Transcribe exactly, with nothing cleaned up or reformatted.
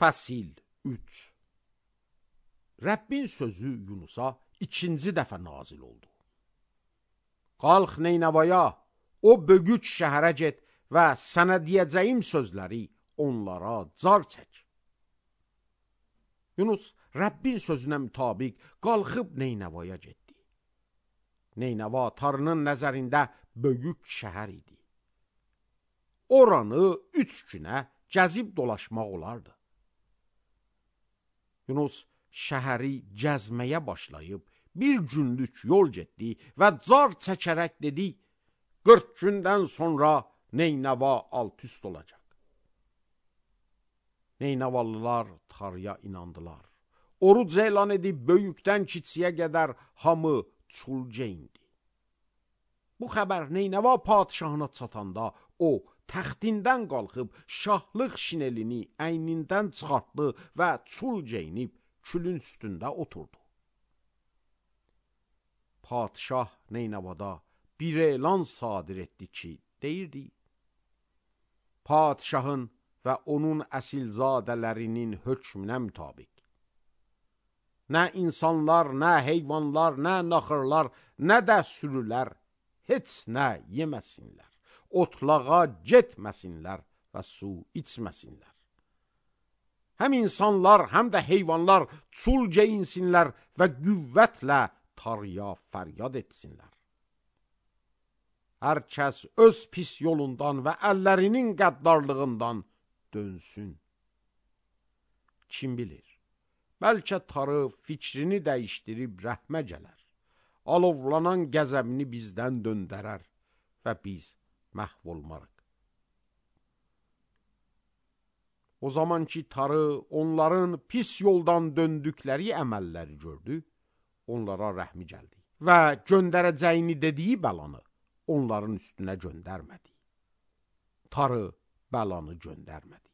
Fəsil üç. Rəbbin sözü Yunusa ikinci dəfə nazil oldu. Qalx Neynəvaya, o bögüç şəhərə get və sənə deyəcəyim sözləri onlara car çək. Yunus Rəbbin sözünə mütabiq qalxıb Neynəvaya getdi. Neynəva Tanrının nəzərində böyük şəhər idi. Oranı üç günə gəzib dolaşmaq olardı. Yunus şəhəri gəzməyə başlayıb bir günlük yol getdi və car çəkərək dedi, qırx gündən sonra Neynəva alt üst olacaq. Neynəvalılar Tanrıya inandılar. Oruc elan edib böyükdən kiçiyə qədər hamı çulca indi. Bu xəbər Neynəva padişahına çatanda o təxtindən qalxıb şahlıq şinelini əynindən çıxartdı və çul geyinib külün üstündə oturdu. Padişah Neynəvada bir elan sadir etdi ki, deyirdi, padişahın və onun əsilzadələrinin hökmünə mütabiq. Nə insanlar, nə heyvanlar, nə naxırlar, nə də sürülər heç nə yeməsinlər, otlağa getməsinlər və su içməsinlər. Həm insanlar, həm də heyvanlar çul geyinsinlər və qüvvətlə Tanrıya fəryad etsinlər. Hər kəs öz pis yolundan və əllərinin qəddarlığından dönsün. Kim bilir, bəlkə Tanrı fikrini dəyişdirib rəhmə gələr, alovlanan qəzəbini bizdən döndərər və biz məhv olmarıq. O zaman ki Tanrı onların pis yoldan döndükləri əməlləri gördü, onlara rəhmi gəldi və göndərəcəyini dediyi bəlanı onların üstünə göndərmədi. Tanrı bəlanı göndərmədi.